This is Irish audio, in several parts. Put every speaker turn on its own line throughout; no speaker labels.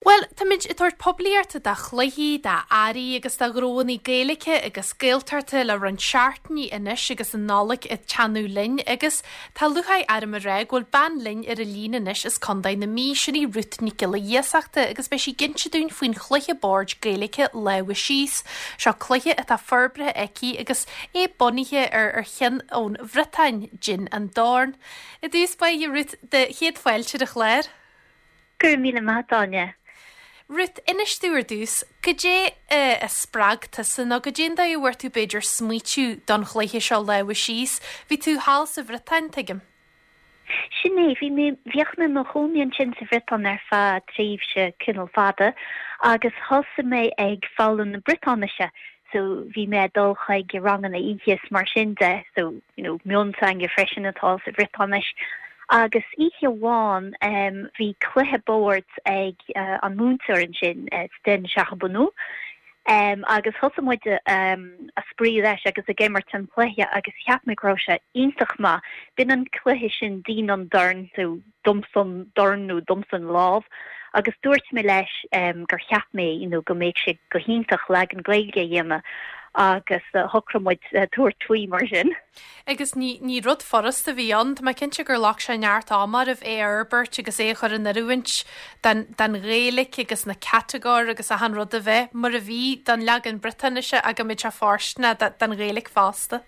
Bhuel, táimid ag tabhairt poiblíochta do chluichí, d'earraí agus do ghnóanna Gaeilge agus Gaeltachta le roinnt seachtainí anois agus an Nollaig ag teannadh linn agus tá lúcháir orm a rá go bhfuil bean linn ar an líne anois as Contae na Mí, sin í Ruth Nic Giolla Iasachta agus beidh sí ag inse dúinn faoin chluiche boird Gaeilge Lámha Síos. Seo cluiche atá forbartha aici agus é bunaithe ar ar cheann ón Bhriotáin, Din an Dorn. I dtús báire Ruth, do chéad fáilte ar an chlár.
Go raibh míle maith, Áine.
Ruth, inis domh ar dtús, goidé a spreag tusa nó goidé an dóigh a bhfuair tú b'fhéidir smaoitiú don chluiche seo Lámha Síos? Bhí tú thall sa Bhriotáin, tuigim.
Sin é, bhí mé, bhíodh mé i mo chónaí ansin sa Bhriotáin ar feadh tréimhse cineál fada agus thosaigh mé ag foghlaim na Briotáinise so bhí mé ag dul chuig ranganna oíche is mar sin de, so you know mionteanga freisin atá sa Bhriotáinis. Agus oíche amháin em bhí cluiche boird ag an múinteoir ansin, Sten Charbonneau, em agus thosaigh muid em a spraoi leis agus ag imirt an chluiche agus cheap mé go raibh sé iontach maith. B'in an cluiche sin Din an Dorn so domsa an dorn nó domsa an lámh agus dúirt mé leis gur cheap mé you know go mbeadh sé go hiontach leagan Gaeilge a dhéanamh agus shocraigh muid tabhairt faoi mar sin.
Agus ní, ní rud furasta a bhí ann, tá mé cinnte gur ghlac sé neart ama oraibh é a fhorbairt agus é a chur in oiriúint don, don Ghaeilge agus na catagóir agus achan rud a bheith mar a bhí don leagan Briotáinise ach go mbeadh sé fóirsteanach don Ghaeilge fosta.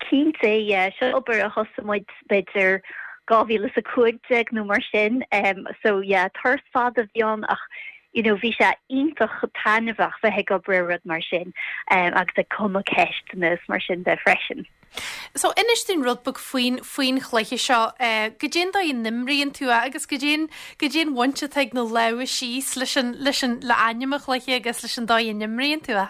Cinnte, yeah. Seo obair a thosaigh muid b'fhéidir 2015 nó mar sin. So yeah, turas fada a bhí ann ach you know bhí sé iontach taitneamhach bheith ag obair ar rud mar sin agus ag cumadh ceisteanna is mar sin de freisin.
So inis dúinn rud beag faoin, faoin chluiche seo. Goidé an dóigh a n-imríonn tú é agus goidé an, goidé an bhaint atá ag na lámha síos leis an, leis an, le ainm an chluiche agus leis an dóigh a n-imríonn tú é?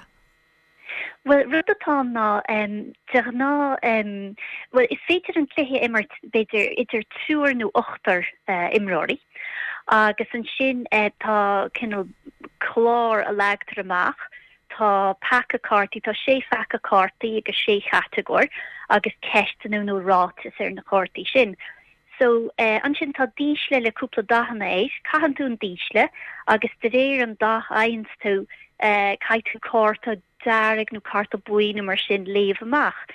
Bhuel, rud atá ann ná, de ghnáth, bhuel, is féidir an cluiche a imirt, b'fhéidir, idir triúr nó ochtar imreoirí agus ansin tá cineál clár a leagtar amach, tá paca cártaí, tá sé phaca cártaí agus sé chatagóir agus ceisteanna nó ráitis ar na cártaí sin. So, ansin tá dísle le cúpla dathanna air, caitheann tú an dísle agus de réir an dath a fhaigheanns tú, caithfidh tú cárta dearg nó cárta buí nó mar sin léamh amach.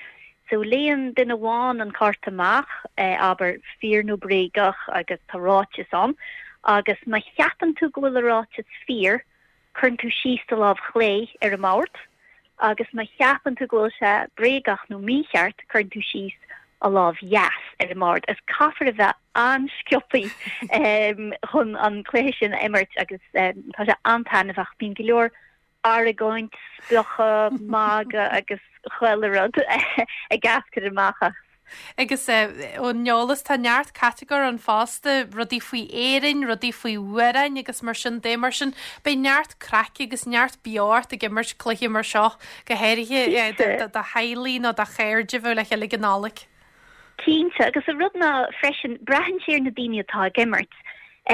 So, léann duine amháin an cárta amach, abair fíor nó bréagach agus tá ráiteas ann agus má cheapann tú go bhfuil an ráiteas fíor, cuireann tú síos do lámh chlé ar an mbord agus má cheapann tú go bhfuil sé bréagach nó mícheart, cuireann tú síos an lámh dheas ar an mbord. Is caithfear a bheith an-sciobthaí chun an cluiche sin a imirt agus tá sé an-taitneamhach. Bíonn go leor argóint, spochadh, magadh agus chuile rud ag eascairt amach as.
Agus ón eolas, tá neart catagóir ann fosta, rudaí faoi Éirinn, rudaí faoi amhráin agus mar sin de. Mar sin, beidh neart craic agus neart beocht ag imirt cluiche mar seo, go háirithe do theaghlaigh nó do chairde a bheith le chéile ag an Nollaig.
Cinnte, agus an rud ná freisin, braitheann sé ar na daoine atá ag imirt.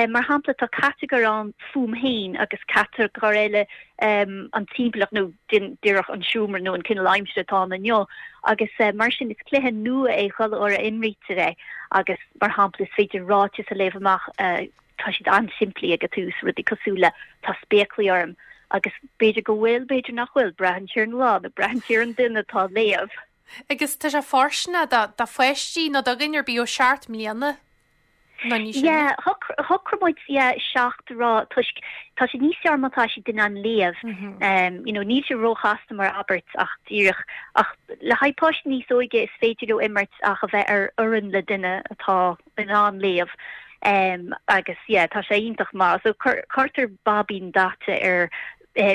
Mar shampla, tá catagóir ann fúm féin agus catagóir eile an timpeallacht nó díreach an seomra nó an cineál aimsire atá ann inniu agus mar sin is cluiche nua é chuile uair a imrítear é agus mar shampla is féidir ráiteas a léamh amach tá siad an-simplí ag an tús, rudaí cosúil le tá spéaclaí orm agus b'fhéidir go bhfuil, b'fhéidir nach bhfuil, braitheann sé ar an lá nó braitheann sé ar an duine atá ag léamh.
Agus tá sé fóirsteanach do pháistí nó do dhuine ar bith ó 7 mbliana nó níos sine.
Yeah, shocraigh muid yeah, 7 a rá toisc tá sé níos fearr má tá siad in ann léamh. You know, níl sé róchasta mar abairt ach díreach ach le haghaidh páistí níos óige is féidir leo imirt ach a bheith ar fhoireann le duine atá in ann léamh. Agus yeah, tá sé iontach maith. So cuirtear baibín daite ar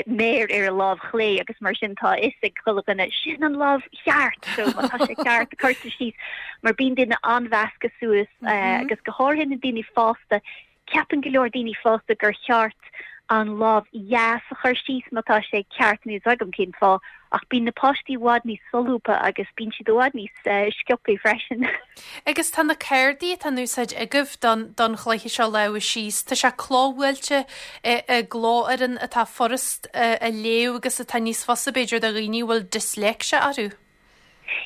méar ar an lámh chlé agus mar sin tá a fhios ag chuile dhuine, sin an lámh cheart! So má tá sé ceart, cuirtear síos mar bíonn daoine an-mheasctha suas agus go háirithe na daoine fásta, ceapann go leor daoine fásta gur cheart an lámh dheas a chur síos má tá sé ceart, níl a fhios agam cén fáth, ach bíonn na páistí i bhfad níos solúbtha agus bíonn siad i bhfad níos sciobthaí freisin.
Agus tá na cártaí atá in úsáid agaibh don don chluiche seo Lámha Síos, tá sé clóbhuailte i i gclófhoireann atá furast a léamh agus atá níos fusa b'fhéidir do dhaoine a bhfuil disléicse orthu.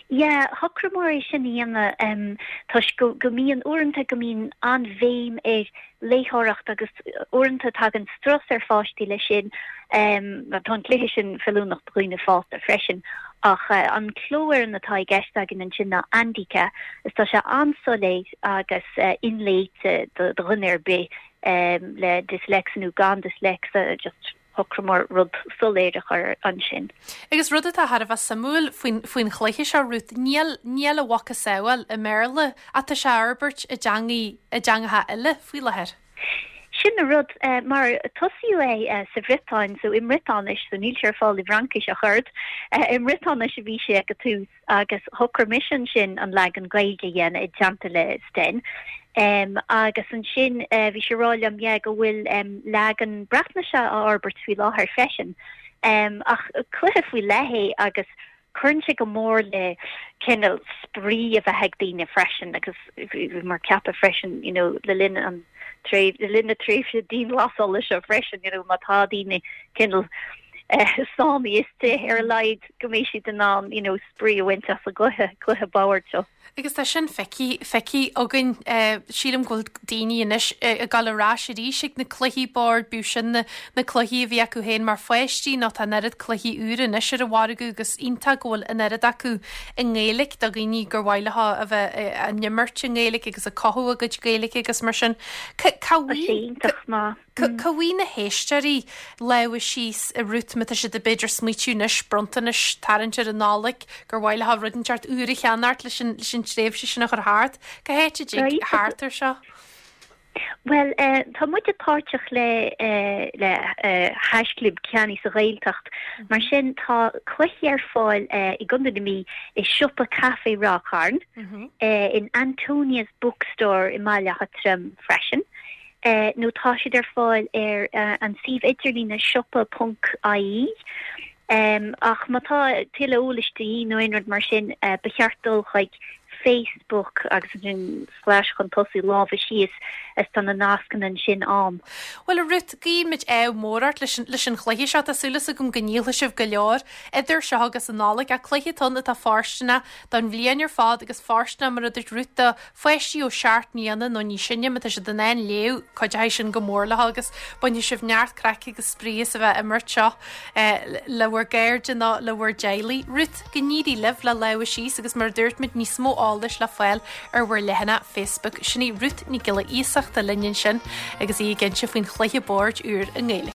Yeah, shocraíomar é sin a dhéanamh toisc go go mbíonn, uaireanta go mbíonn an-bhéim ar léitheoireacht agus uaireanta tagann strus ar pháistí leis sin. Tá an cluiche sin feiliúnach do dhaoine fásta freisin ach an clófhoireann atá i gceist againn ansin ná Andika is tá sé an-soiléir agus inléite do dhuine ar bith le dyslexia nó gan dyslexia, just shocraíomar rud soiléir a chur ansin.
Agus rud atá thar a bheith suimiúil faoin, faoin chluiche seo, Ruth, níl, níl a mhacasamhail i mBéarla ach tá sé á fhorbairt i dteangaí, i dteangacha eile faoi láthair.
Sin an rud, mar tosaíodh é sa Bhriotáin, so i mBriotáinis, so níl sé ar fáil i bhFraincis ach oiread, i mBriotáinis a bhí sé ag an tús agus shocraigh mise ansin an leagan Gaeilge a dhéanamh i dteannta le Sten. Agus ansin bhí sé ag rá liom, yeah, go bhfuil leagan Breatnaise á fhorbairt faoi láthair freisin. Ach cluiche faoi leith é agus cuireann sé go mór le cineál spraoi a bheith ag daoine freisin agus bhíomar ag ceapadh freisin, you know, le linn an le linn na tréimhse dianghlasála seo freisin, you know, má tá daoine cineál sáinnithe istigh ar a laghad go mbeidh siad in ann, you know, spraoi a bhaint as an gcluiche, cluiche boird seo.
Agus tá sin feicthe, feicthe againn. Sílim go bhfuil daoine anois ag dul ar ais arís ag na cluichí boird, bíodh sin na, na cluichí a bhí acu féin mar pháistí nó tá an oiread cluichí úra anois ar an mhargadh agus iontach go bhfuil an oiread acu i nGaeilge do dhaoine gur mhaith leo a bheith á n-imirt i nGaeilge agus ag cothú a gcuid Gaeilge agus mar sin. Cá
Tá sé iontach maith.
Cá bhfaighidh na héisteoirí lámha síos a Ruth má tá siad ag b'fhéidir smaoitiú anois bronntanais tarraingt ar an Nollaig gur mhaith leo rud inteacht úr a cheannacht leis an leis an tréimhse sin a chur thart. Cá háit a dtig theacht air seo?
Bhuel, tá muide páirteach le le hAisclib Ceannaigh sa Ghaeltacht. Mar sin tá cluichí ar fáil i gContae na Mí i siopa Caife Ráth Chairn, in Antonia's Bookstore i mBaile Átha Troim freisin. nó tá siad ar fáil ar an suíomh idirlíne siopa ponc ie. Ach má tá tuilleadh eolais de dhíth nó aon rud mar sin, ba cheart dul chuig Facebook agus ansin slash chun tosaigh lámha síos is tá na nascanna ansin ann.
Bhuel a Ruth, guímid ádh mór ort leis an leis an chluiche seo. Tá súil agam go ndíolfaidh sibh go leor idir seo agus an Nollaig. Ach cluiche atá ann atá fóirsteanach don bhliain ar fad agus fóirsteanach mar a dúirt Ruth do pháistí ó sheacht mbliana nó níos sine, má tá siad in ann léamh, cuideoidh sin go mór leo agus bainfidh sibh neart craic agus spraoi as a bheith ag imirt seo le bhur gcairde nó le bhur dteaghlaigh. Ruth, go n-éirí libh le Lámha Síos agus mar a dúirt muid, níos mó eolais le fáil ar bhur leathanach Facebook. Sin í Ruth Nic Giolla Iasachta linn ansin agus í ag inse faoin chluiche boird úr i nGaeilge.